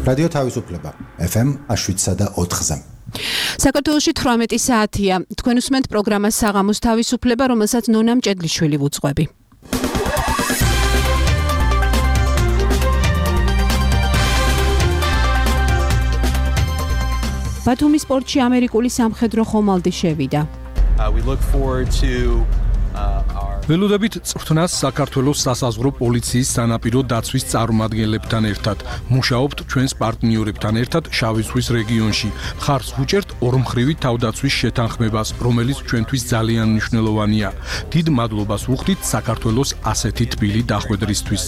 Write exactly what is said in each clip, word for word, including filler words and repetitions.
რადიო თავისუფლება ეფ ემ შვიდსა და ოთხზე. საქართველოში თვრამეტი საათია. თქვენ უსმენთ პროგრამას საღამოს თავისუფლება, რომელსაც ნონა მჭედლიშვილი ვუძღვები. ბათუმის პორტში ამერიკული სამხედრო ხომალდი შევიდა. ველოდებით წვრთნას საქართველოს სასაზღვრო პოლიციის სანაპირო დაცვის წარმომადგენლებთან ერთად. მუშაობთ ჩვენს პარტნიორებთან ერთად შავი ზღვის რეგიონში. მხარს ვუჭერთ ორმხრივი თავდაცვის შეთანხმებას, რომელიც ჩვენთვის ძალიან მნიშვნელოვანია. დიდ მადლობას ვუხდით საქართველოს ასეთი თბილი დახვედრისთვის.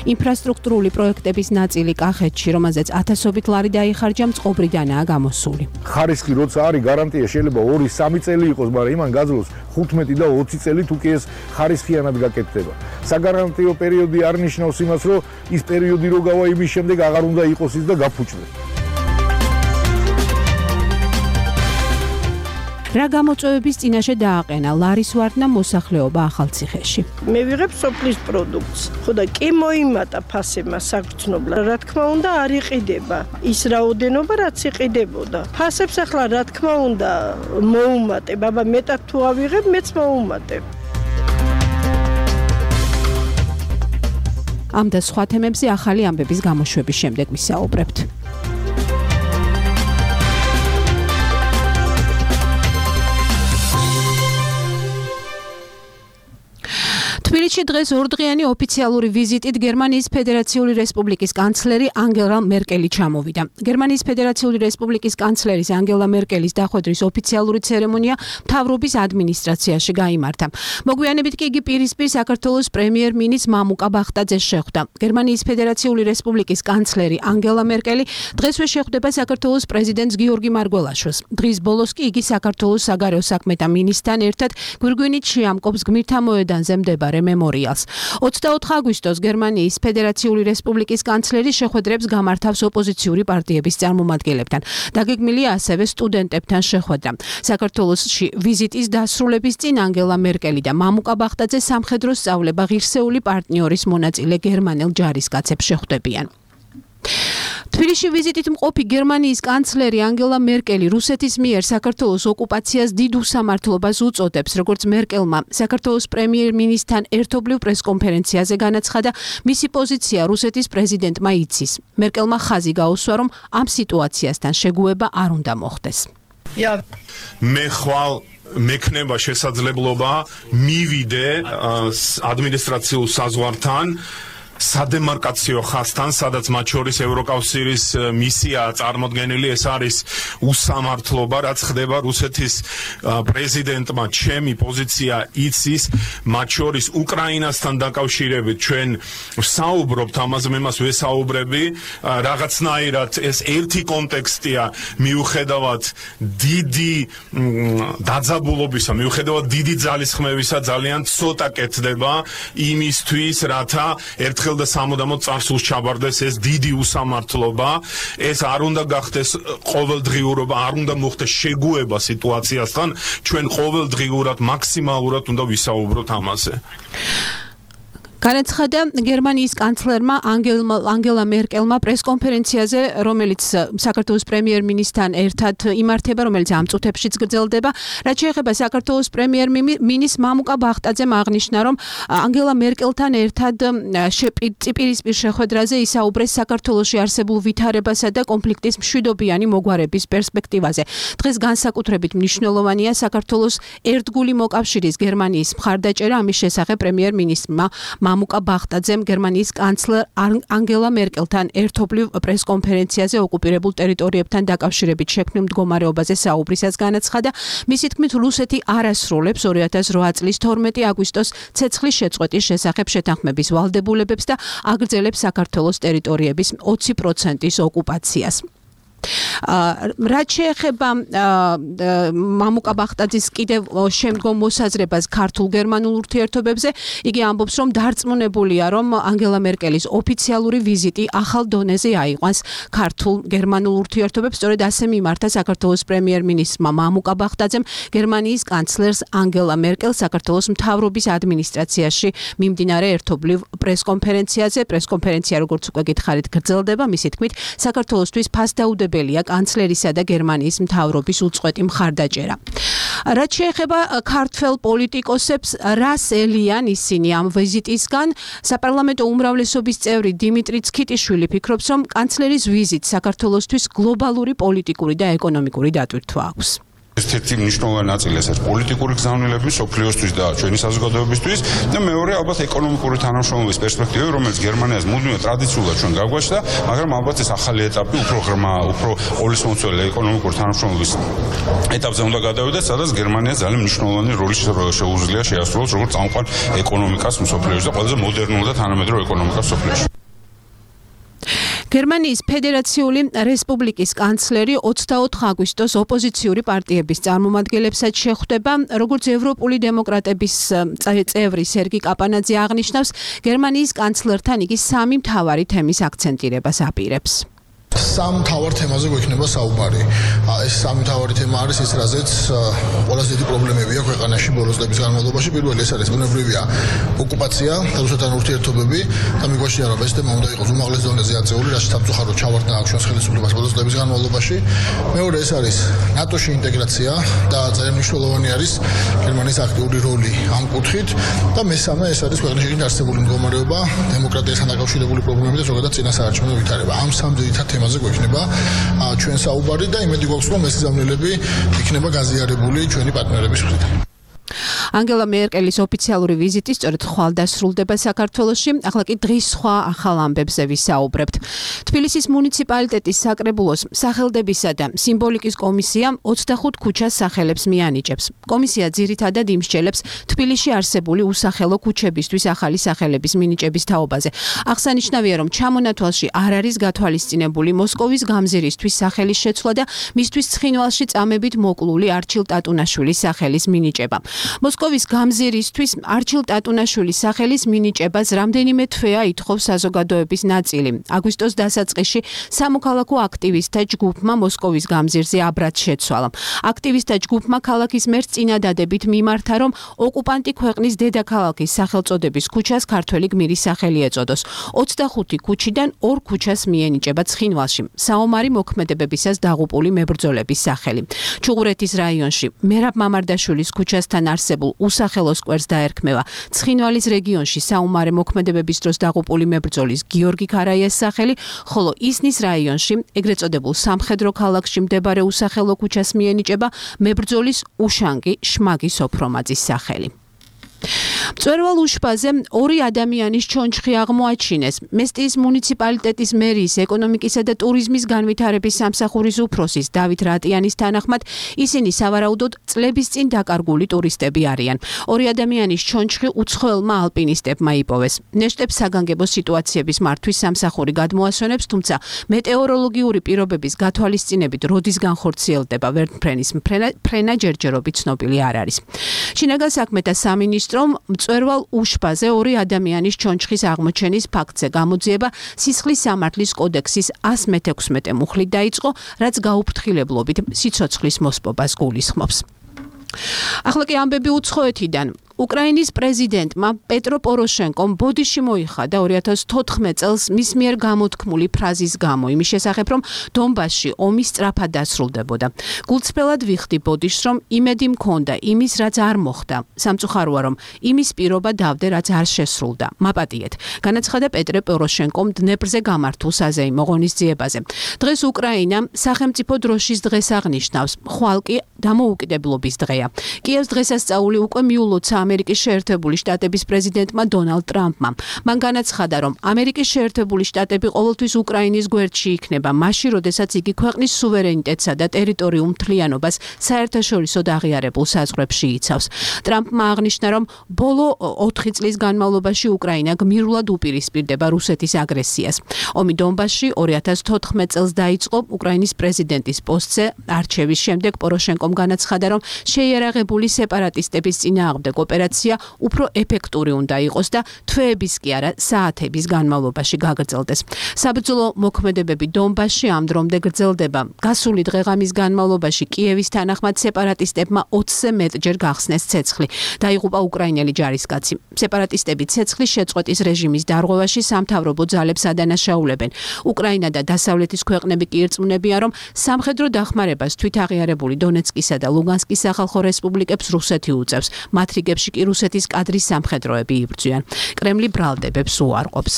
ინფრასტრუქტურული პროექტების ნაწილი კახეთში, რომელზეც ათასობით ლარი დაიხარჯა, მწყობრიდანაა გამოსული. ხარისხი როცა არის გარანტია შეიძლება ორი სამი წელი იყოს, მაგრამ იმან გაძლოს ხუთმეტი და ოცი წელი თუ კი ეს ხარისხიანად გაკეთდება. საგარანტიო პერიოდი არ ნიშნავს იმას, რომ ის პერიოდი რო გავა იმის შემდეგ აღარ უნდა იყოს ის და გაფუჭდეს. რა გამოწვევების წინაშე დააყენა ლარის ვარდნა მოსახლეობა ახალციხეში. მე ვიღებ სოფლის პროდუქტს. ხო და კი მოიმატა ფასებმა საგრძნობლად. რა თქმა უნდა არ იყიდება ის რაოდენობა რაც იყიდებოდა. ფასებს ახლა რა თქმა უნდა მოუმატებ, აბა მეტად თუ ავიღებ, მეც მოუმატებ. ამ და სხვა თემებზე ახალი ამბების გამოშვების შემდეგ ვისაუბრებთ. თბილისში დღეს ორდღიანი ოფიციალური ვიზიტით გერმანიის ფედერაციული რესპუბლიკის კანცლერი ანგელა მერკელი ჩამოვიდა. გერმანიის ფედერაციული რესპუბლიკის კანცლერის ანგელა მერკელის დახვედრის ოფიციალური ცერემონია მთავრობის ადმინისტრაციაში გაიმართა. მოგვიანებით კი იგი პირისპირ საქართველოს პრემიერ-მინისტრ მამუკა ბახტაძეს შეხვდა. გერმანიის ფედერაციული რესპუბლიკის კანცლერი ანგელა მერკელი დღესვე შეხვდება საქართველოს პრეზიდენტს გიორგი მარგველაშვილს. დღის ბოლოს კი იგი საქართველოს საგარეო საქმეთა მინისტრთან ერთად გვირგვინით შეამკობს გმირთა მოედანზე მდებარე მემორიალს. ოცდაოთხ აგვისტოს გერმანიის ფედერაციული რესპუბლიკის კანცლერი შეხვედრებს გამართავს ოპოზიციური პარტიების წარმომადგენლებთან. დაგეგმილია ასევე სტუდენტებთან შეხვედრა. საქართველოში ვიზიტის დასრულების წინ ანგელა მერკელი და მამუკა ბახტაძე სამხედრო სწავლება ღირსეული პარტნიორის მონაწილე გერმანელ ჯარისკაცებს შეხვდებიან. თბილისში ვიზიტით მყოფი გერმანიის კანცლერი ანგელა მერკელი რუსეთის მიერ საქართველოს ოკუპაციას დიდ უსამართლობას უწოდებს, როგორც მერკელმა საქართველოს პრემიერ-მინისტრთან ერთობლივ პრესკონფერენციაზე განაცხადა, მისი პოზიცია რუსეთის პრეზიდენტმა იცის. მერკელმა ხაზი გაუსვა, რომ ამ სიტუაციასთან შეგუება არ უნდა მოხდეს. მე ხვალ მექნება შესაძლებლობა მივიდე ადმინისტრაციულ საზღვართან სადემარკაციო ხაზთან, სადაც მათ შორის ევროკავშირის მისიაა წარმოდგენილი. ეს არის უსამართლობა, რაც ხდება რუსეთის პრეზიდენტმა. ჩემი პოზიცია იცის, მათ შორის უკრაინასთან დაკავშირებით ჩვენ საუბრობთ, ამაზე მე მას ვესაუბრები. რაღაცნაირად ეს ერთი კონტექსტია, მიუხედავად დიდი დაძაბულობისა, მიუხედავად დიდი ძალისხმევისა, ძალიან ცოტა კეთდება იმისთვის, რათა ერთხელ და სამუდამოდ წარსულს ჩაბარდეს ეს დიდი უსამართლობა. ეს არ უნდა გახდეს ყოველდღიურობა, არ უნდა მოხდეს შეგუება სიტუაციასთან. ჩვენ ყოველდღიურად მაქსიმალურად უნდა ვისაუბროთ ამაზე. განაცხადა გერმანიის კანცლერმა ანგელა მერკელმა პრესკონფერენციაზე, რომელიც საქართველოს პრემიერ-მინისტრთან ერთად იმართება, რომელიც ამ წუთებშიც გრძელდება. რაც შეეხება საქართველოს პრემიერ-მინისტრ მამუკა ბახტაძემ აღნიშნა, რომ ანგელა მერკელთან ერთად პირისპირ შეხვედრაზე ისაუბრეს საქართველოში არსებულ ვითარებასა და კონფლიქტის მშვიდობიანი მოგვარების პერსპექტივაზე. დღეს განსაკუთრებით მნიშვნელოვანია საქართველოს ერთგული მოკავშირის გერმანიის მხარდაჭერა. ამის შესახებ პრემიერ-მინისტრმა მამუკა ბახტაძემ გერმანიის კანცლერ ანგელა მერკელთან ერთობლივ პრესკონფერენციაზე ოკუპირებულ ტერიტორიებთან დაკავშირებით შექმნილ მდგომარეობაზე საუბრისას განაცხადა. მისი თქმით, რუსეთი არ ასრულებს ორი ათას რვა წლის თორმეტი აგვისტოს ცეცხლის შეწყვეტის შესახებ შეთანხმების ვალდებულებებს და აგრძელებს საქართველოს ტერიტორიების ოცი პროცენტის ოკუპაციას. რაც შეეხება მამუკა ბახტაძის კიდევ შემდგომ მოსაზრებას ქართულ-გერმანულ ურთიერთობებზე, იგი ამბობს, რომ დარწმუნებულია, რომ ანგელა მერკელის ოფიციალური ვიზიტი ახალ დონეზე აიყვანს ქართულ-გერმანულ ურთიერთობებს. სწორედ ასე მიმართა საქართველოს პრემიერ-მინისტრმა მამუკა ბახტაძემ გერმანიის კანცლერს ანგელა მერკელს საქართველოს მთავრობის ადმინისტრაციაში მიმდინარე ერთობლივ პრესკონფერენციაზე. პრესკონფერენცია, როგორც უკვე გითხარით, გრძელდება. მისი თქმით, საქართველოსთვის ფასდაუდებელია კანცლერისა და გერმანიის მთავრობის უწყვეტი მხარდაჭერა. რაც შეეხება ქართველ პოლიტიკოსებს, რას ელიან ისინი ამ ვიზიტისგან, საპარლამენტო უმრავლესობის წევრი დიმიტრი ცქიტიშვილი ფიქრობს, რომ კანცლერის ვიზიტს საქართველოსთვის გლობალური პოლიტიკური და ეკონომიკური დატვირთვა აქვს. ერთ-ერთი მნიშვნელოვანი ნაწილი ეს არის პოლიტიკური გზავნილები სოფლიოსთვის და ჩვენი საზოგადოებისთვის და მეორე ალბათ ეკონომიკური თანამშრომლობის პერსპექტივები, რომელიც გერმანიას მუდმივად ტრადიციულად ჩვენ გაგვაჩნდა, მაგრამ ალბათ ეს ახალი ეტაპი უფრო ღრმა, უფრო ოლისმომცველი ეკონომიკური თანამშრომლობის ეტაპზე უნდა გადავიდეთ, სადაც გერმანია ძალიან მნიშვნელოვანი როლი შეუძლია შეასრულოს როგორც წამყვან ეკონომიკას მსოფლიოში და ყველაზე მოდერნულ და თანამედროვე ეკონომიკას მსოფლიოში. გერმანიის ფედერაციული რესპუბლიკის კანცლერი ოცდაოთხ აგვისტოს ოპოზიციური პარტიების წარმომადგენლებსაც შეხვდება. როგორც ევროპული დემოკრატების წევრი სერგი კაპანაძე აღნიშნავს, გერმანიის კანცლერთან იგი სამი მთავარი თემის აქცენტირებას აპირებს. სამ მთავარ თემაზე გვექნება საუბარი. ეს სამი მთავარი თემა არის ის, რაზეც ყველაზე დიდი პრობლემებია ქვეყანაში ბოლოს წლების განმავლობაში. პირველი ეს არის ბუნებრივია ოკუპაცია, რუსეთთან ურთიერთობები და მიგვაჩნია, რომ ეს თემა უნდა იყოს უმაღლეს დონეზე აწეული, რაც სამწუხაროდ ჩავარდა აქ ჩვენს ხელისუფლებას ბოლოს წლების განმავლობაში. მეორე ეს არის ნატოში ინტეგრაცია და ძალიან მნიშვნელოვანი არის გერმანიის აქტიური როლი ამ კუთხით და მესამე ეს არის ქვეყნის არსებული მდგომარეობა, დემოკრატიასთან დაკავშირებული პრობლემები და ზოგადად წინასაარჩევნო ვითარება. ამ სამ ძირითად თემაზე გვექნება ჩვენ საუბარი და იმედი გვაქვს, რომ ეს გზავნილები იქნება გაზიარებული ჩვენი პარტნიორების მხრიდან. ანგელა მერკელის ოფიციალური ვიზიტი სწორედ ხვალ დასრულდება საქართველოში. ახლა კი დღის სხვა ახალ ამბებზე ვისაუბრებთ. თბილისის მუნიციპალიტეტის საკრებულოს სახელდებისა და სიმბოლიკის კომისია ოცდახუთ ქუჩას სახელებს მიანიჭებს. კომისია ძირითადად იმსჯელებს თბილისში არსებული უსახელო ქუჩებისთვის ახალი სახელების მინიჭების თაობაზე. აღსანიშნავია, რომ ჩამონათვალში არ არის გათვალისწინებული მოსკოვის გამზირისთვის სახელის შეცვლა და მისთვის ცხინვალში წამებით მოკლული არჩილ ტატუნაშვილის სახელის მინიჭება. მოსკოვის გამზირისთვის არჩილ ტატუნაშვილის სახელის მინიჭებას რამდენიმე თვეა ითხოვს საზოგადოების ნაწილი. აგვისტოს დასაწყისში სამოქალაქო აქტივისტთა ჯგუფმა მოსკოვის გამზირზე აბრად შეცვალა. აქტივისტთა ჯგუფმა ქალაქის მერს წინადადებით მიმართა, რომ ოკუპანტი ქვეყნის დედაქალაქის სახელწოდების ქუჩას ქართველი გმირის სახელი ეწოდოს. ოცდახუთი ქუჩიდან ორ ქუჩას მიენიჭება ცხინვალში საომარი მოქმედებებისას დაღუპული მებრძოლების სახელი. ჩუღურეთის რაიონში მერაბ მამარდაშვილის ქუჩასთან არსებულ უსახელო სკვერს დაერქმევა ცხინვალის რეგიონში საომარი მოქმედებების დროს დაღუპული მებრძოლის გიორგი ქარაიას სახელი, ხოლო ისნის რაიონში ეგრეთ წოდებულ სამხედრო ქალაქში მდებარე უსახელო ქუჩას მიენიჭება მებრძოლის უშანგი შმაგი სოფრომაძის სახელი. მწვერვალ უშბაზე ორი ადამიანის ჩონჩხი აღმოაჩინეს. მესტიის მუნიციპალიტეტის მერიის ეკონომიკისა და ტურიზმის განვითარების სამსახურის უფროსის დავით რატიანის თანახმად, ისინი სავარაუდოდ წლების წინ დაკარგული ტურისტები არიან. ორი ადამიანის ჩონჩხი უცხოელმა ალპინისტებმა იპოვეს. ნეშტებს საგანგებო სიტუაციების მართვის სამსახური გადმოასვენებს, თუმცა მეტეოროლოგიური პირობების გათვალისწინებით როდის განხორციელდება ვერტმფრენის ფრენა ჯერჯერობით ცნობილი არ არის. შინაგან საქმეთა სამინისტრომ მწვერვალ უშბაზე ორი ადამიანის ჩონჩხის აღმოჩენის ფაქტზე გამოძიება სისხლის სამართლის კოდექსის ასი მეთექვსმეტე მუხლით დაიწყო, რაც გაუფრთხილებლობით სიცოცხლის მოსპობას გულისხმობს. ახლა კი ამბები უცხოეთიდან. უკრაინის პრეზიდენტმა პეტრო პოროშენკომ ბოდიში მოიხადა ორი ათას თოთხმეტ წელს მის მიერ გამოთქმული ფრაზის გამო, იმის შესახებ, რომ დონბასში ომი სწრაფად დასრულდებოდა. გულწრფელად ვიხდი ბოდიშს, რომ იმედი მქონდა იმის, რაც არ მოხდა. სამწუხაროა, რომ იმის პირობა დავდე, რაც არ შესრულდა. მაპატიეთ, განაცხადა პეტრე პოროშენკომ დნეპრზე გამართულ საზეიმო ღონისძიებაზე. დღეს უკრაინა სახელმწიფო დროშის დღეს აღნიშნავს, ხვალ კი დამოუკიდებლობის დღეა. კიევს დღესასწაული უკვე მიულოცა ამერიკის შეერთებული შტატების პრეზიდენტმა დონალდ ტრამპმა. მან განაცხადა, რომ ამერიკის შეერთებული შტატები ყოველთვის უკრაინის გვერდში იქნება, მაშინ, როდესაც იგი ქვეყნის სუვერენიტეტსა და ტერიტორიულ მთლიანობას საერთაშორისოდ აღიარებულ საზღვრებში იცავს. ტრამპმა აღნიშნა, რომ ბოლო ოთხი წლის განმავლობაში უკრაინა გმირულად უპირისპირდება რუსეთის აგრესიას. ომი დონბასში ორი ათას თოთხმეტ წელს დაიწყო. უკრაინის პრეზიდენტის პოსტზე არჩევის შემდეგ პოროშენკომ განაცხადა, რომ შეიარაღებული სეპარატისტების წინააღმდეგ ოპერაცია უფრო ეფექტური უნდა იყოს და თვეების კი არა საათების განმავლობაში გაგრძელდეს. საბრძოლო მოქმედებები დონბასში ამ დრომდე გრძელდება. გასული დღეღამის განმავლობაში კიევის თანახმად სეპარატისტებმა ოცზე მეტჯერ გახსნეს ცეცხლი. დაიღუპა უკრაინელი ჯარისკაცი. სეპარატისტები ცეცხლის შეწყვეტის რეჟიმის დარღვევაში სამთავრობო ძალებს ადანაშაულებენ. უკრაინა და დასავლეთის ქვეყნები კი ირწმუნებიან, რომ სამხედრო დახმარებას თვითაღიარებული დონეცკისა და ლუგანსკის სახალხო რესპუბლიკებს რუსეთი უწევს. მათ რიგებში კი რუსეთის კადრის სამხედროები იბრძვიან. კრემლი ბრალდებებს უარყოფს.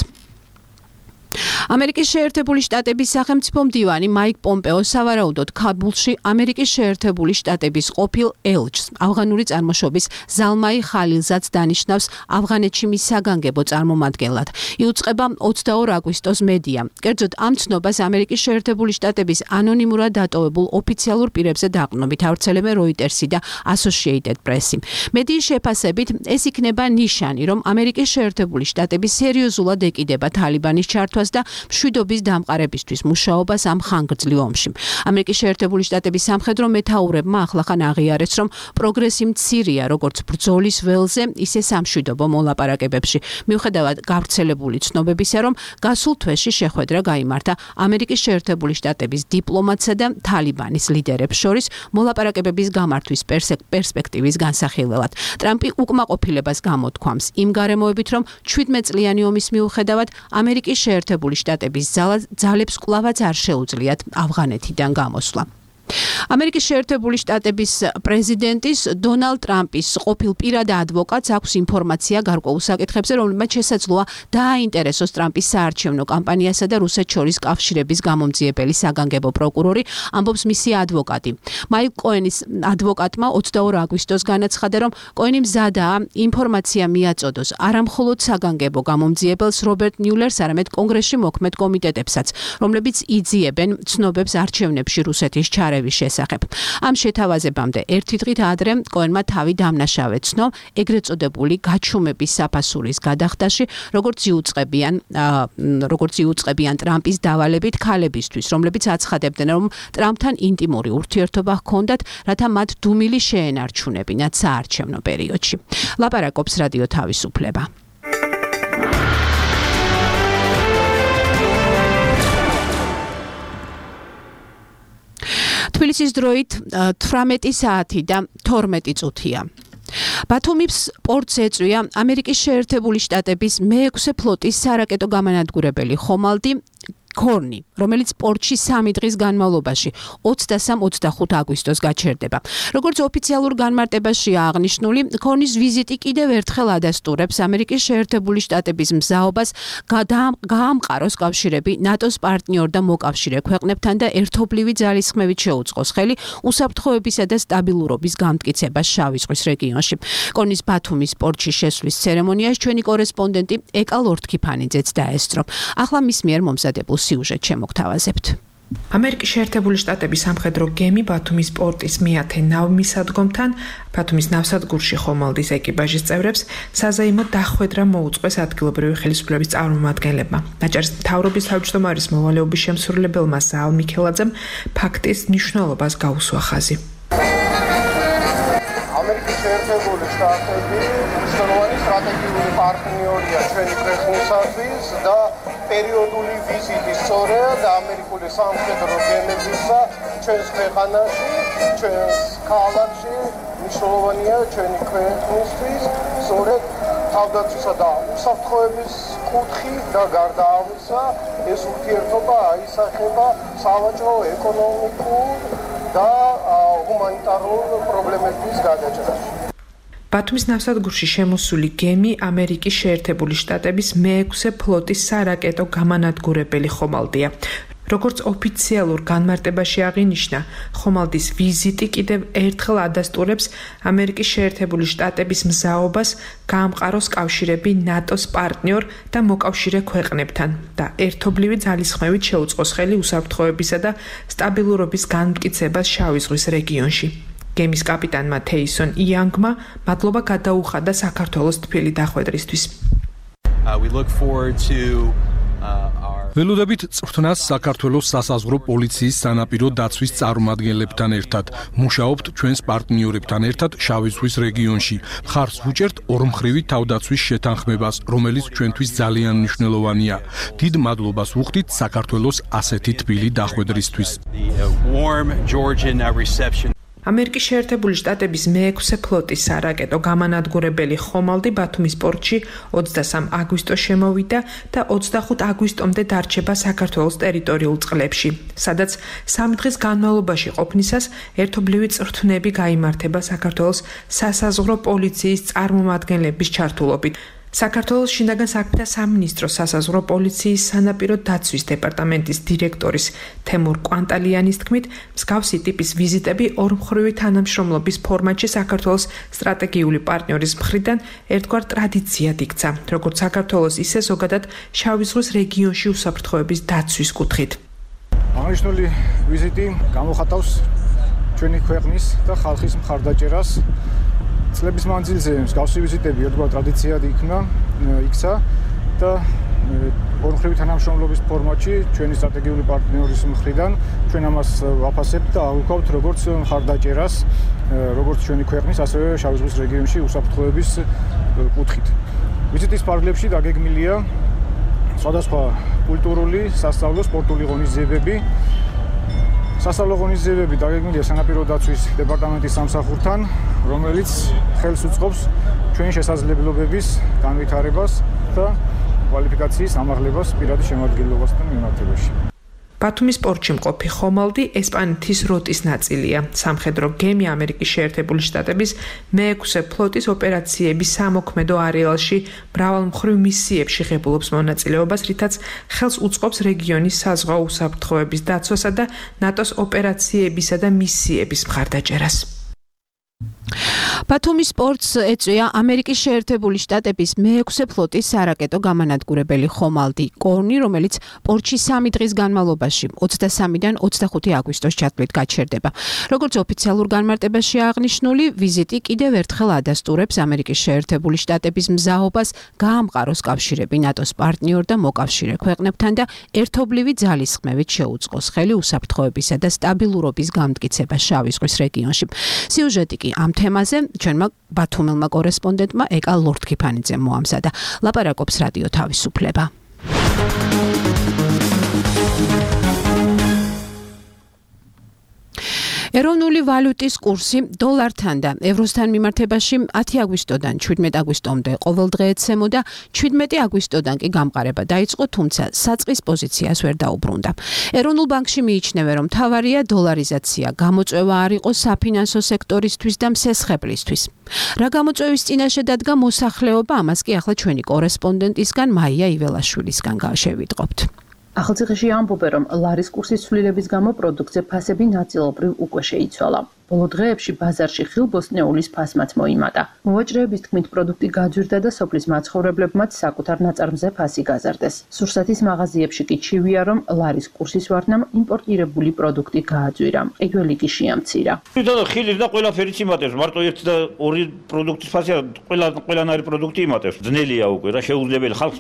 ამერიკის შეერთებული შტატების სახელმწიფო მდივანი მაიკ პომპეო სავარაუდოდ ქაბულში ამერიკის შეერთებული შტატების ყოფილ ელჩს ავღანური წარმოშობის ზალმაი ხალილზადს დანიშნავს ავღანეთში მის საგანგებო წარმომადგენლად. იუწყება ოცდაორ აგვისტოს მედია. კერძოდ ამ ცნობას ამერიკის შეერთებული შტატების ანონიმურად დატოვებულ ოფიციალურ პირებზე დაყრდნობით ავრცელებენ როიტერსი და ასოციეიტედ პრესი. მედიის შეფასებით ეს იქნება ნიშანი, რომ ამერიკის შეერთებული შტატები სერიოზულად ეკიდება თალიბანის ჩართვას და მშვიდობის დამყარებისთვის მუშაობას ამ ხანგრძლივ ომში. ამერიკის შეერთებული შტატების სამხედრო მეთაურებმა ახლახან აღიარეს, რომ პროგრესი მცირეა როგორც ბრძოლის ველზე, ისე სამშვიდობო მოლაპარაკებებში. მიუხედავად გავრცელებული ცნობებისა, რომ გასულ თვეში შეხვედრა გაიმართა ამერიკის შეერთებული შტატების დიპლომატსა და თალიბანის ლიდერებს შორის მოლაპარაკებების გამართვის პერსპექტივის განსახილველად. ტრამპი უკმაყოფილებას გამოთქვამს იმ გარემოებით, რომ ჩვიდმეტ წლიანი ომის მიუხედავად ამერიკის შეერთებული შტატების ძალებს კვლავაც არ შეუძლიათ ავღანეთიდან გამოსვლა. ამერიკის შეერთებული შტატების პრეზიდენტის დონალდ ტრამპის ყოფილ პირად ადვოკატს აქვს ინფორმაცია გარკვეულ საკითხებზე, რომლებმაც შესაძლოა დააინტერესოს ტრამპის საარჩევნო კამპანიასა და რუსეთს შორის კავშირების გამომძიებელი საგანგებო პროკურორი, ამბობს მისი ადვოკატი. მაიკლ კოენის ადვოკატმა ოცდაორ აგვისტოს განაცხადა, რომ კოენი მზადაა ინფორმაცია მიაწოდოს არამხოლოდ საგანგებო გამომძიებელს რობერტ მიულერს, არამედ კონგრესში მოქმედ კომიტეტებსაც, რომლებიც იძიებენ ცნობებს არჩევნებში რუსეთის ჩარევის შესახებ. ამ შეთავაზებამდე ერთი დღით ადრე კოენმა თავი დამნაშავე ცნო ეგრეთ წოდებული გაჩუმების საფასურის გადახდაში, როგორც იუწყებიან როგორც იუწყებიან ტრამპის დავალებით ქალებისთვის, რომლებიც აცხადებდნენ, რომ ტრამპთან ინტიმური ურთიერთობა ჰქონდათ, რათა მათ დუმილი შეენარჩუნებინათ საარჩევნო პერიოდში. ლაპარაკობს რადიო თავისუფლება. თბილისის დროით თვრამეტი საათი და თორმეტი წუთია. ბათუმის პორტს ეწვია ამერიკის შეერთებული შტატების მეექვსე ფლოტის სარაკეტო გამანადგურებელი ხომალდი ქორნი, რომელიც პორტში სამი დღის განმავლობაში ოცდასამ ოცდახუთ აგვისტოს გაჩერდება. როგორც ოფიციალურ განმარტებაშია აღნიშნული, ქორნის ვიზიტი კიდევ ერთხელ ადასტურებს ამერიკის შეერთებული შტატების მზაობას გაამყაროს კავშირები ნატოს პარტნიორ და მოკავშირე ქვეყნებთან და ერთობლივი ძალისხმევით შეუწყოს ხელი უსაფრთხოებისა და სტაბილურობის გამტკიცებას შავი ზღვის რეგიონში. ქორნის ბათუმის პორტში შესვლის ცერემონიას ჩვენი კორესპონდენტი ეკა ლორთქიფანიძეც დაესწრო. ახლა მის მიერ მომზადებულ სიუჟეტ შემოგთავაზებთ. ამერიკის შეერთებული შტატების სამხედრო გემი ბათუმის პორტის მეათე ნავმისადგომთან ბათუმის ნავსადგურში ხომალდის ეკიპაჟის წევრებს საზეიმო დახვედრა მოუწყვეს ადგილობრივი ხელისუფლების წარმომადგენლებმა. ნაჭარის მთავრობის თავმჯდომარის მოვალეობის შემსრულებელმა საალ მიქელაძემ ფაქტის მნიშვნელობას გაუსვა ხაზი. ამერიკის შეერთებული შტატები მნიშვნელოვანი სტრატეგიული პარტნიორია ჩვენი ქვეყნისათვის და პერიოდული ვიზიტი სწორედ ამერიკული სამხედრო გემებისა ჩვენს ქვეყანაში, ჩვენს ქალაქში მნიშვნელოვანია ჩვენი ქვეყნისთვის, სწორედ თავდაცვისა და უსაფრთხოების კუთხი და გარდა ამისა ეს ურთიერთობა აისახება სავაჭრო, ეკონომიკურ და ჰუმანიტარულ პრობლემების გადაჭრაში. ბათუმის ნავსადგურში შემოსული გემი ამერიკის შეერთებული შტატების მეექვსე ფლოტის სარაკეტო გამანადგურებელი ხომალდია. როგორც ოფიციალურ განმარტებაში აღინიშნა, ხომალდის ვიზიტი კიდევ ერთხელ ადასტურებს ამერიკის შეერთებული შტატების მზაობას გაამყაროს კავშირები ნატოს პარტნიორ და მოკავშირე ქვეყნებთან და ერთობლივი ძალისხმევით შეუწყოს ხელი უსაფრთხოებისა და სტაბილურობის განმტკიცებას შავი ზღვის რეგიონში. გემის კაპიტანმა თეისონ იანგმა მადლობა გადაუხადა საქართველოს თბილი დახვედრისთვის. Uh, we look forward to uh, our ველოდებით წვრთნას საქართველოს სასაზღვრო პოლიციის სანაპირო დაცვის წარმომადგენლებთან ერთად. მუშაობთ ჩვენს პარტნიორებთან ერთად შავი ზღვის რეგიონში. მხარს ვუჭერთ ორმხრივი თავდაცვის შეთანხმებას, რომელიც ჩვენთვის ძალიან მნიშვნელოვანია. დიდ მადლობას ვუხდით საქართველოს ასეთი თბილი დახვედრისთვის. ამერიკის შეერთებული შტატების მეექვსე ფლოტის სარაკეტო გამანადგურებელი ხომალდი ბათუმის პორტში ოცდასამ აგვისტოს შემოვიდა და ოცდახუთ აგვისტომდე დარჩება საქართველოს ტერიტორიულ წყლებში, სადაც სამი დღის განმავლობაში ყოფნისას ერთობლივი წვრთნები გაიმართება საქართველოს სასაზღვრო პოლიციის წარმომადგენლების ჩართულობით. საქართველოს შინაგან საქმეთა სამინისტროს სასაზღვრო პოლიციის სანაპირო დაცვის დეპარტამენტის დირექტორის თემურ კვანტალიანის თქმით, მსგავსი ტიპის ვიზიტები ორმხრივი თანამშრომლობის ფორმატში საქართველოს სტრატეგიული პარტნიორის მხრიდან ერთგვარ ტრადიციად იქცა, როგორც საქართველოს, ისე ზოგადად შავი ზღვის რეგიონში უსაფრთხოების დაცვის კუთხით. აღნიშნული ვიზიტი გამოხატავს ჩვენი ქვეყნის და ხალხის მხარდაჭერას. წლების მანძილზე მსგავსი ვიზიტები ერთგვარ ტრადიციად იქნა, იქცა და ორმხრივი თანამშრომლობის ფორმატში ჩვენი სტრატეგიული პარტნიორის მხრიდან ჩვენ ამას ვაფასებთ და აღვქვავთ როგორც მხარდაჭერას, როგორც ჩვენი ქვეყნის, ასევე შავი ზღვის რეგიონში უსაფრთხოების კუთხით. ვიზიტის ფარგლებში დაგეგმილია სხვადასხვა კულტურული, სასწავლო, სპორტული ღონისძიებები. სასწავლო ღონისძიებები დაგეგმილია სანაპირო დაცვის დეპარტამენტის სამსახურთან, რომელიც ხელს უწყობს ჩვენი შესაძლებლობების განვითარებას და კვალიფიკაციის ამაღლებას პირადი შემადგენლობასთან მიმართებაში. ბათუმის პორტში მყოფი ხომალდი ესპანეთის როტის ნაწილია. სამხედრო გემი ამერიკის შეერთებული შტატების მეექვსე ფლოტის ოპერაციების სამოქმედო არეალში მრავალმხრივ მისიებში ღებულობს მონაწილეობას, რითაც ხელს უწყობს რეგიონის საზღვაო უსაფრთხოების დაცვასა და ნატოს ოპერაციებისა და მისიების მხარდაჭერას. ბათუმის პორტს ეწვია ამერიკის შეერთებული შტატების მეექვსე ფლოტის სარაკეტო გამანადგურებელი ხომალდი კორნი, რომელიც პორტში სამი დღის განმავლობაში ოცდასამიდან ოცდახუთი აგვისტოს ჩათვლით გაჩერდება. როგორც ოფიციალურ განმარტებაში აღნიშნული, ვიზიტი კიდევ ერთხელ ადასტურებს ამერიკის შეერთებული შტატების მზაობას გაამყაროს კავშირები ნატოს პარტნიორ და მოკავშირე ქვეყნებთან და ერთობლივი ძალისხმევით შეუწყოს ხელი უსაფრთხოებისა და სტაბილურობის გამტკიცებას შავი ზღვის რეგიონში. სიუჟეტი კი ამ თემაზე ჩვენმა ბათუმელმა კორესპონდენტმა ეკა ლორთქიფანიძემ მოამზადა. ლაპარაკობს რადიო თავისუფლება. ეროვნული ვალუტის კურსი დოლართან და ევროსთან მიმართებაში ათი აგვისტოდან შვიდმეტი აგვისტომდე ყოველ დღე ეცემოდა, შვიდმეტი აგვისტოდან კი გამყარება დაიწყო, თუმცა საწყის პოზიციას ვერ დაუბრუნდა. ეროვნულ ბანკში მიიჩნევენ, რომ მთავარია დოლარიზაცია, გამოწვევა არ იყო საფინანსო სექტორისთვის და მსესხებლისთვის. რა გამოწვევის წინაშე დადგა მოსახლეობა, ამას კი ახლა ჩვენი კორესპონდენტისგან მაია იველაშვილისგან შევიტყობთ. ახალციხეში ამბობენ, რომ ლარის კურსის ცვლილებების გამო პროდუქტზე ფასები ნაწილობრივ უკვე შეიცვალა. ბოლო დღეებში ბაზარში ხილბოსტნეულის ფასმაც მოიმატა. მოვაჭრეების თქმით, პროდუქტი გაძვირდა და სოფლის მაცხოვრებლებმაც საკუთარ ნაწარმზე ფასი გაზარდეს. სურსათის მაღაზიებში კი ჩივია, რომ ლარის კურსის ვარდნამ იმპორტირებული პროდუქტი გააძვირა. ყიდველი კი შეამცირა. ხილის და ყველაფერიც იმატებს, მარტო ერთი და ორი პროდუქტის ფასია, ყველა ყველანაირი პროდუქტი იმატებს. ძნელია უკვე რა, შეუძლებელი ხალხს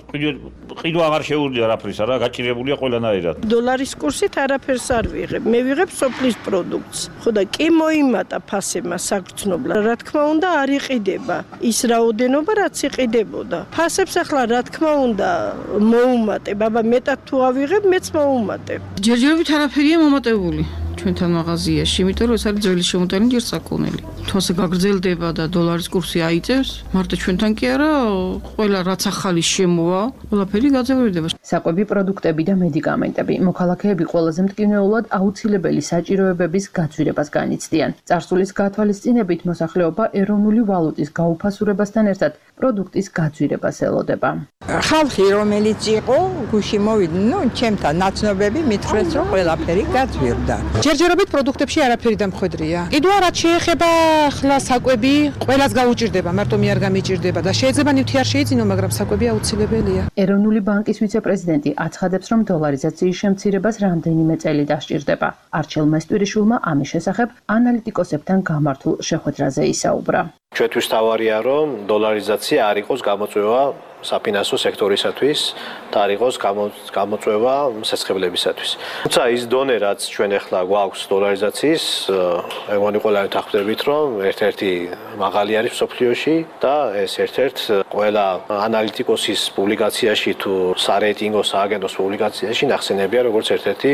ყიდვა აღარ შეუძლია რაფრისა რა, გაჭირებულია ყველანაირად. დოლარის კურსით არაფერს არ ვიღებ. მე ვიღებ სოფლის პროდუქტს. ხო და კი მოიმატა ფასებმა საგრძნობლად. რა თქმა უნდა, არ იყიდება ის რაოდენობა, რაც იყიდებოდა. ფასებს ახლა რა თქმა უნდა მოუმატებ, აბა მეტად თუ ავიღებ, მეც მოუმატებ. ჯერჯერობით არაფერია მომატებული. ჩვენთან მაღაზიაში, იმიტომ რომ ეს არის ძველი შემოტანი ჯერ საქონელი. თვასე გაგრძელდება და დოლარის კურსი აიწევს, მარტო ჩვენთან კი არა, ყველა რაც ახალი შემოვა, ყველაფერი გაძევდება. საკვები პროდუქტები და მედიკამენტები მოქალაქეები ყველაზე მტკივნეულად აუცილებელი საჭიროებების გაცვლებას განიცდიან. წარსულის გათვალისწინებით მოსახლეობა ეროვნული ვალუტის გაუფასურებასთან ერთად პროდუქტის გაძვირებას ელოდება. ხალხი რომელიც იყო გუში მოვიდნენ, ნუ ჩემთან ნაცნობები მითხრეს რომ ყველაფერი გაძვირდა. ჯერჯერობით პროდუქტებში არაფერი დამხვედრია. კიდევ რაც შეეხება ხლა საკვები, ყველას გაუჭირდება, მარტო მე არ გამიჭირდება და შეიძლება ნივთი არ შეიძინო, მაგრამ საკვები აუცილებელია. ეროვნული ბანკის ვიცე-პრეზიდენტი აცხადებს, რომ დოლარიზაციის შემცირებას რამდენიმე წელი დასჭირდება. არჩილ მესტვირიშვილმა ამის შესახებ ანალიტიკოსებთან გამართულ შეხვედრაზე ისაუბრა. ჩვენთვის თავარია, რომ დოლარიზაცია არ იყოს გამოწვევა საფინანსო სექტორისათვის და არ იყოს გამოწვევა სესხებლებისათვის. თუმცა ის დონე, რაც ჩვენ ახლა გვაქვს დოლარიზაციის, მეგონი ყველანი თანხმდებით, რომ ერთ-ერთი მაღალი არის მსოფლიოში და ეს ერთ-ერთ ყველა ანალიტიკოსის პუბლიკაციაში თუ სარეიტინგო სააგენტოს პუბლიკაციაში ნახსენებია როგორც ერთ-ერთი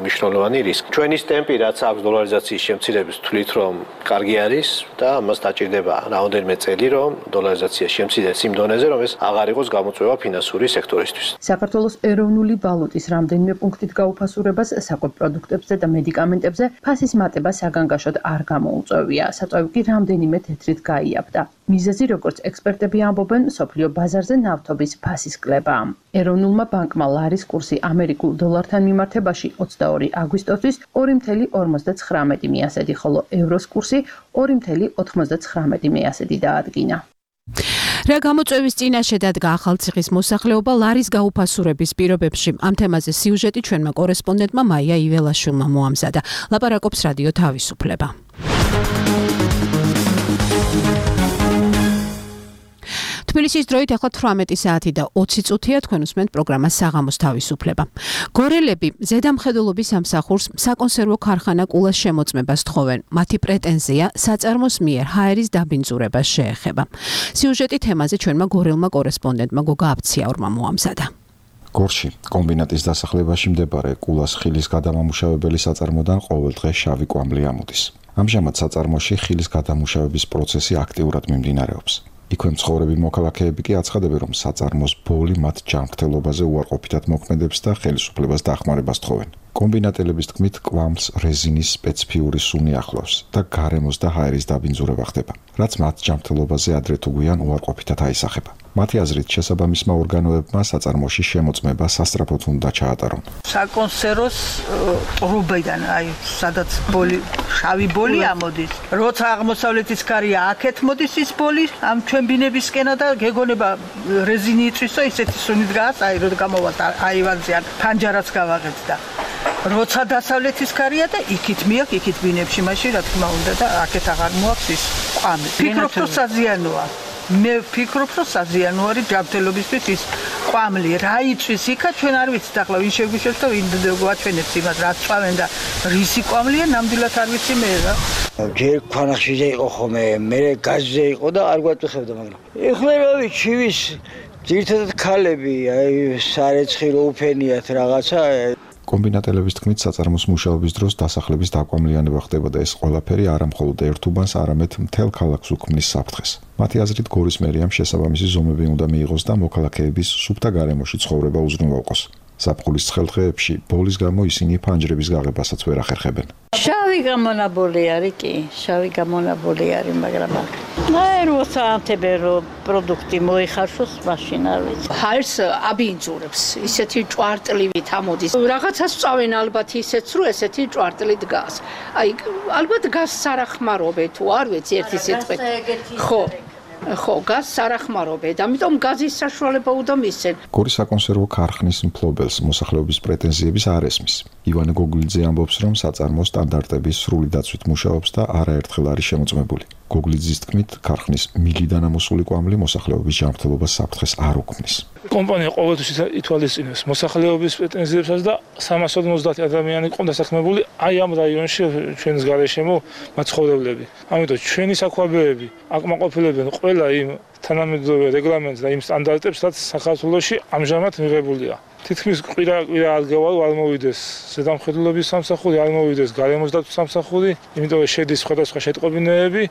მნიშვნელოვანი რისკი. ჩვენის ტემპი, რაც აქვს დოლარიზაციის შემცირების, თვლით, რომ კარგი არის და მას დაჭირდება რაოდენიმე წელი, რომ დოლარიზაცია შემცირდეს იმ დონეზე, რომ ეს აღარ იყოს გამოწვევა ფინანსური სექტორისთვის. საქართველოს ეროვნული ვალუტის რამდენიმე პუნქტით გაუფასურებას საკვებ პროდუქტებზე და მედიკამენტებზე ფასის მატება საგანგაშოდ არ გამოუწვევია. საწვევი კი რამდენიმე თეთრით გაიაფდა. მიზეზი, როგორც ექსპერტები ამბობენ, მსოფლიო ბაზარზე ნავთობის ფასის კლებაა. ეროვნულმა ბანკმა ლარის კურსი ამერიკულ დოლართან მიმართებაში ოცდაორი აგვისტოსთვის ორი ათეული ორმოცდათხრამეტი მიასედი, ხოლო ევროს კურსი ორი ათეული ოთხმოცდათხრამეტი მიასედი დაადგინა. რა გამოწვევის წინაშე დადგა ახალციხის მოსახლეობა ლარის გაუფასურების პირობებში? ამ თემაზე სიუჟეტი ჩვენმა კორესპონდენტმა მაია იველაშვილმა მოამზადა. ლაპარაკობს რადიო თავისუფლება. თბილისის დროით ახლა თვრამეტი საათი და ოცი წუთია, თქვენ უსმენთ პროგრამას საღამოს თავისუფლება. გორელები ზედამხედველობის სამსახურს საკონსერვო ქარხანა კულას შემოწმებას თხოვენ. მათი პრეტენზია საწარმოს მიერ ჰაერის დაბინძურებას შეეხება. სიუჟეტი თემაზე ჩვენმა გორელმა კორესპონდენტმა გოგა აბციაურმა მოამზადა. გორში კომბინატის დასახლებაში მდებარე კულას ხილის გადამამუშავებელი საწარმოდან ყოველდღე შავი კვამლი ამოდის. ამჟამად საწარმოში ხილის გადამუშავების პროცესი აქტიურად მიმდინარეობს. იქვე მცხოვრები მოქალაქეები კი აცხადებენ, რომ საწარმოს ბოლი მათ ჯანმრთელობაზე უარყოფითად მოქმედებს და ხელისუფლებას დახმარებას თხოვენ. კომბინატელების თქმით, კვამლს რეზინის სპეციფიური სუნი ახლავს და გარემოს და ჰაერის დაბინძურება ხდება, რაც მათ ჯანმრთელობაზე ადრე თუ გვიან უარყოფითად აისახება. მათი აზრით, შესაბამისმა ორგანოებმა საწარმოში შემოწმება სასწრაფოდ უნდა ჩაატარონ. საკონსერვოს ტრუბიდან, აი, სადაც ბოლი, შავი ბოლი ამოდის. როცა აღმოსავლეთის კარია აქეთ მოდის ის ბოლი, ამ ჩვენ ბინებისკენა და გეგონება რეზინი იწვისო, ისეთი სუნით გას, აი, რო გამოვა აივანზე ან ფანჯარაც გავაღეთ და როცა დასავლეთის კარია და იქით მიაქვს, იქით ბინებში მაშინ რა თქმა უნდა და აქეთ აღარ მოაქვს ის ყვამი. ფიქრობ რომ საზიანოა. მე ვფიქრობ რომ საზიანო არის ჯანმრთელობისთვის ის ყვამლი. რა იწვის იქა ჩვენ არ ვიცით ახლა ვინ შეგვიშვებს და ვინ გვაჩვენებს იმას რაც წავენ და რისი ყვამლია ნამდვილად არ ვიცი მე რა. ჯერ ქვანახშირზე იყო ხოლმე, მე გაზზე იყო და არ გვატვიხებდა მაგრამ. ეხლა რა ვიცი ვის ძირთადად ქალები აი სარეცხი რო უფენიათ რაღაცა კომბინატელების თქმით, საწარმოს მუშაობის დროს დასახლების დაკვამლიანება ხდება და ეს ყველაფერი არა მხოლოდ ერთ უბანს, არამედ მთელ ქალაქს უქმნის საფრთხეს. მათი აზრით, გორის მერიამ შესაბამისი ზომები უნდა მიიღოს და მოქალაქეების სუფთა გარემოში ცხოვრება უზრუნველყოს. საფხულის ცხელდღეებში ბოლის გამო ისინი ფანჯრების გაღებასაც ვერ ახერხებენ. შავი გამონაბოლი არის კი, შავი გამონაბოლი არის, მაგრამ აი როცა ამთებენ რომ პროდუქტი მოიხარშოს, მაშინ არ ვიცი. ჰაერს აბინძურებს, ისეთი ჭვარტლივით ამოდის. რაღაცას წავენ ალბათ ისეც, რომ ესეთი ჭვარტლი დგას. აი ალბათ გას სარახმარობე თუ არ ვიცი ერთი სიტყვით. ხო. ხო, გაზს არახმარობენ, ამიტომ გაზის საშუალება უნდა მისცენ. გორის საკონსერვო ქარხნის მფლობელს მოსახლეობის პრეტენზიების არ ესმის. ივანე გოგლიძე ამბობს, რომ საწარმო სტანდარტების სრული დაცვით მუშაობს და არაერთხელ არის შემოწმებული. გოგლიძის თქმით, ქარხნის მილიდან ამოსული კვამლი მოსახლეობის ჯანმრთელობას საფრთხეს არ უქმნის. კომპანია ყოველთვის ითვალისწინებს მოსახლეობის პრეტენზიებსაც და სამას ორმოცდაათი ადამიანი ყო დასაქმებული აი ამ რაიონში ჩვენს გარეშემო მაცხოვრებლები. ამიტომ ჩვენი საქვაბეები აკმაყოფილებენ ყველა იმ თანამედროვე რეგლამენტს და იმ სტანდარტებს, რაც საქართველოში ამჟამად მიღებულია. თითქმის კვირა კვირა ადგილ არ მოვიდეს ზედამხედველობის სამსახური, არ მოვიდეს გარემოს დაცვის სამსახური, იმიტომ რომ შედის სხვადასხვა შეტყობინებები,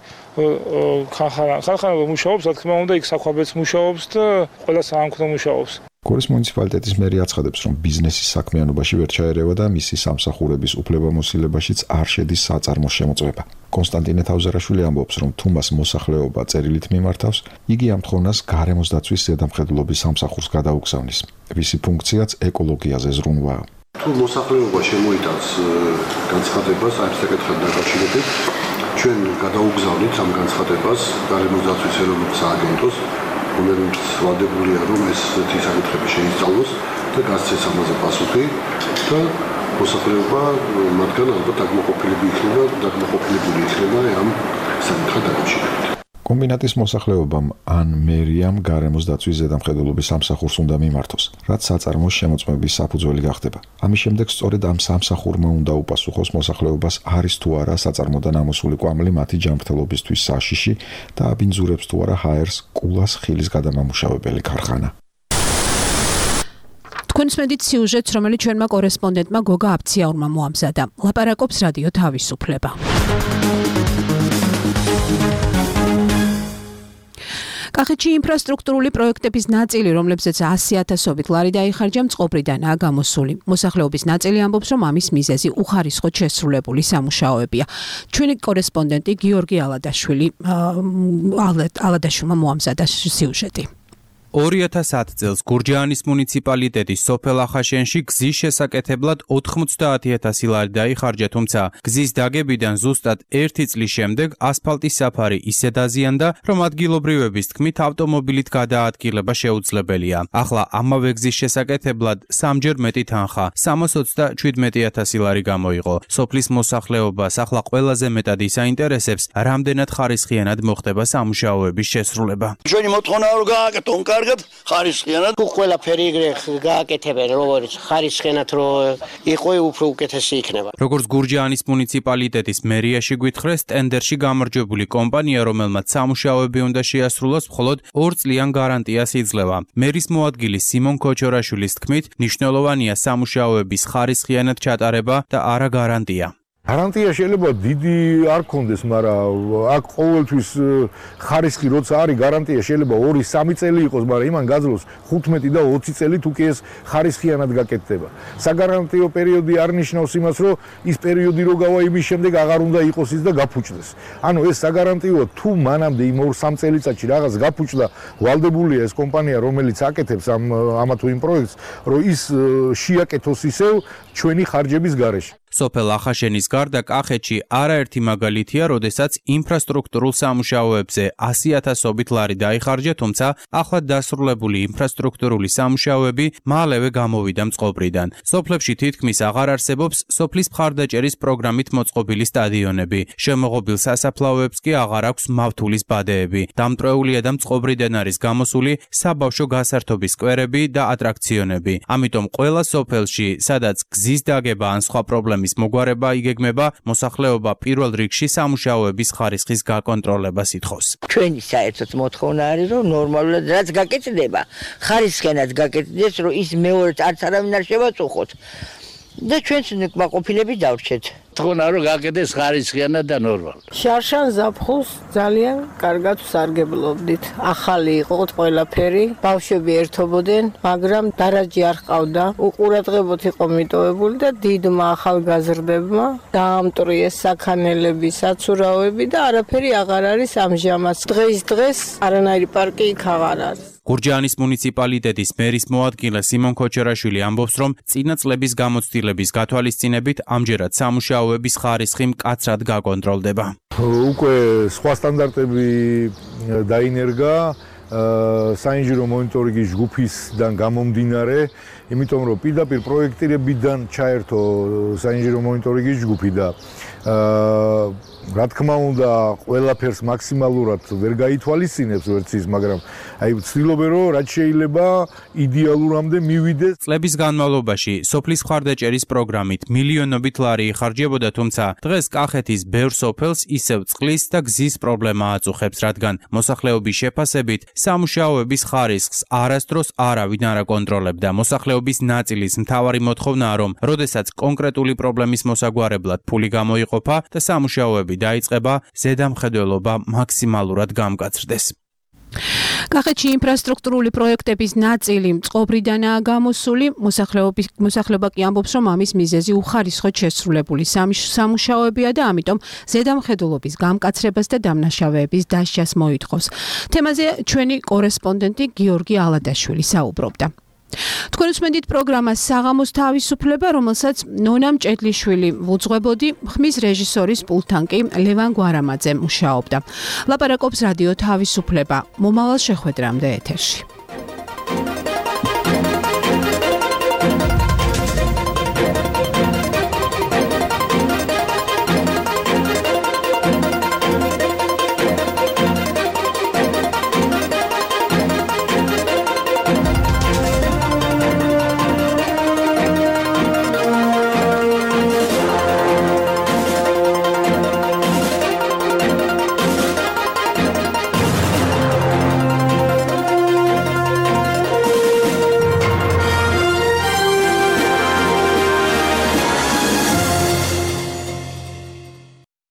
ხანხანა ხანხანა მუშაობს, რა თქმა უნდა, იქ საქვაბეც მუშაობს და ყველა საამქრო მუშაობს. გორის მუნიციპალიტეტის მერი აცხადებს, რომ ბიზნესის საქმიანობაში ვერ ჩაერევა და მისი სამსახურების უფლებამოსილებაშიც არ შედის საწარმოს შემოწმება. კონსტანტინე თავზარაშვილი ამბობს, რომ თუ მას მოსახლეობა წერილით მიმართავს, იგი ამ თხოვნას გარემოს დაცვის ზედამხედველობის სამსახურს გადაუგზავნის. მისი ფუნქციაც ეკოლოგიაზე ზრუნვაა. თუ მოსახლეობა შემოიტანს განცხადებას ამ საკითხთან დაკავშირებით, ჩვენ გადაუგზავნით ამ განცხადებას გარემოს დაცვის ეროვნულ სააგენტოს, რომელიც ვალდებულია, რომ ეს საკითხები შეისწავლოს და გასცეს ამაზე პასუხი და მოსახლეობა მათგან ალბათ დაგმოყოფილებული იქნება, დაგმოყოფილებული იქნება ამ საკითხთან დაკავშირებით. კომბინატის მოსახლეობამ ან მერიამ გარემოს დაცვის ზედამხედველობის სამსახურს უნდა მიმართოს, რაც საწარმოს შემოწმების საფუძველი გახდება. ამის შემდეგ სწორედ ამ სამსახურმა უნდა უპასუხოს მოსახლეობას არის თუ არა საწარმოდან ამოსული კვამლი მათი ჯანმრთელობისთვის საშიში და აბინძურებს თუ არა ჰაერს კულას ხილის გადამამუშავებელი ქარხანა. თქვენს მედით სიუჟეტს, რომელიც ჩვენმა კორესპონდენტმა გოგა აფციაურმა მოამზადა. ლაპარაკობს რადიო თავისუფლება. კახეთში ინფრასტრუქტურული პროექტების ნაწილი, რომლებზეც ასი ათასობით ლარი დაიხარჯა, მწყობრიდანაა გამოსული. მოსახლეობის ნაწილი ამბობს, რომ ამის მიზეზი უხარისხოდ შესრულებული სამუშაოებია. ჩვენი კორესპონდენტი გიორგი ალადაშვილი ალადაშვილმა მოამზადა სიუჟეტი. ორი ათას ათი წელს გურჯაანის მუნიციპალიტეტის სოფელ ახაშენში გზის შესაკეთებლად ოთხმოცდაათი ათასი ლარი დაიხარჯა, თუმცა გზის დაგებიდან ზუსტად ერთი წლის შემდეგ ასფალტის საფარი ისე დაზიანდა, რომ ადგილობრივების თქმით ავტომობილით გადაადგილება შეუძლებელია. ახლა ამავე გზის შესაკეთებლად სამჯერ მეტი თანხა, სამას ოცდაშვიდმეტი ათასი ლარი გამოიღო. სოფლის მოსახლეობას ახლა ყველაზე მეტად ისაინტერესებს, რამდენად ხარისხიანად მოხდება სამუშაოების შესრულება. ჩვენი მოთხოვნა რომ გააკეთონ კარგად ხარისხიანად თუ ყველაფერი ეგრე გააკეთებენ, როგორც ხარისხიანად რო იყო, უფრო უკეთესი იქნება. როგორც გურჯაანის მუნიციპალიტეტის მერიაში გვითხრეს, ტენდერში გამარჯვებული კომპანია, რომელმაც სამუშაოები უნდა შეასრულოს, მხოლოდ ორ წლიან გარანტიას იძლევა. მერის მოადგილის სიმონ ქოჩორაშვილის თქმით, მნიშვნელოვანია სამუშაოების ხარისხიანად ჩატარება და არა გარანტია. გარანტია შეიძლება დიდი არ გქონდეს, მაგრამ აქ ყოველთვის ხარისხი როცა არის, გარანტია შეიძლება ორი სამი წელი იყოს, მაგრამ იმან გაძლოს ხუთმეტი და ოცი წელი თუ კი ეს ხარისხიანად გაკეთდება. საგარანტიო პერიოდი არ ნიშნავს იმას, რომ ის პერიოდი რო გავა, იმის შემდეგ აღარ უნდა იყოს ის და გაფუჭდეს. ანუ ეს საგარანტიოა, თუ მანამდე იმ ორ სამ წელიწადში რაღაც გაფუჭდა, ვალდებულია ეს კომპანია, რომელიც აკეთებს ამ ამა თუ იმ პროექტს, რომ ის შეაკეთოს ისევ ჩვენი ხარჯების გარეშე. სოფელ ახაშენის გარდა კახეთში არაერთი მაგალითია, როდესაც ინფრასტრუქტურულ სამუშაოებზე ასი ათასობით ლარი დაიხარჯა, თუმცა ახლად დასრულებული ინფრასტრუქტურული სამუშაოები მალევე გამოვიდა მწყობრიდან. სოფლებში თითქმის აღარ არსებობს სოფლის მხარდაჭერის პროგრამით მოწყობილი სტადიონები. შემოღობილ სასაფლაოებს კი აღარ აქვს მავთულის ბადეები. დამტვრეულია და მწყობრიდან არის გამოსული საბავშვო გასართობის სკვერები და ატრაქციონები. ამიტომ ყველა სოფელში, სადაც გზის დაგება ან სხვა პრობლემები მის მოგვარება იგეგმება, მოსახლეობა პირველ რიგში სამუშაოების ხარისხის გაკონტროლებას ითხოვს. ჩვენი საერთოდ მოთხოვნა არის, რომ ნორმალურად რაც გაკეთდება, ხარისხიანად გაკეთდეს, რომ ის მეორედ არც არავინ არ შევაწუხოთ და ჩვენც კმაყოფილები დავრჩეთ. თქონა რომ გაკეთდეს ხარისხიანად და ნორმალურად. შარშან ზაფხულს ძალიან კარგად ვსარგებლობდით. ახალი იყო ყველაფერი, ბავშვები ერთობოდნენ, მაგრამ დარაჯი არ ჰყავდა. უყურადღებოთ იყო მიტოვებული და დიდმა ახალგაზრდებმა დაამტვრიეს საქანელები, საცურაოები და არაფერი აღარ არის ამჟამად. დღეს დღეს არანაირი პარკი იქ აღარ არის. გურჯაანის მუნიციპალიტეტის მერის მოადგილე სიმონ ქოჩორაშვილი ამბობს, რომ წინა წლების გამოცდილების გათვალისწინებით ამჯერად სამუშაოების ხარისხი მკაცრად გაკონტროლდება. უკვე სხვა სტანდარტები დაინერგა საინჟინრო მონიტორინგის ჯგუფისგან გამომდინარე, იმიტომ რომ პირდაპირ პროექტირებიდან ჩაერთო საინჟინრო მონიტორინგის ჯგუფი და აა რა თქმა უნდა, ყველაფერს მაქსიმალურად ვერ გაითვალისწინებს ვერც ის, მაგრამ აი ვცდილობენ რომ რაც შეიძლება იდეალურამდე მივიდეს. წლების განმავლობაში სოფლის მხარდაჭერის პროგრამით მილიონობით ლარი იხარჯებოდა, თუმცა დღეს კახეთის ბევრ სოფელს ისევ წყლის და გზის პრობლემა აწუხებს, რადგან მოსახლეობის შეფასებით სამუშაოების ხარისხს არასდროს არავინ არ აკონტროლებდა. მოსახლეობის ნაწილის მთავარი მოთხოვნაა, რომ როდესაც კონკრეტული პრობლემის მოსაგვარებლად ფული გამოიყოფა და სამუშაოები დაიწყება, ზედამხედველობა მაქსიმალურად გამკაცრდეს. კახეთში ინფრასტრუქტურული პროექტების ნაწილი წყობრიდანაა გამოსული, მოსახლეობა კი ამბობს, რომ ამის მიზეზი უხარისხოდ შესრულებული სამუშაოებია და ამიტომ ზედამხედველობის გამკაცრებას და დამნაშავეების დასჯას მოითხოვს. თემაზე ჩვენი კორესპონდენტი გიორგი ალადაშვილი საუბრობდა. თქვენ უსმენთ პროგრამას საღამოს თავისუფლება, რომელსაც ნონა მჭედლიშვილი ვუძღვებოდი, ხმის რეჟისორის პულტთან კი ლევან გვარამაძე მუშაობდა. ლაპარაკობს რადიო თავისუფლება. მომავალ შეხვედრამდე ეთერში.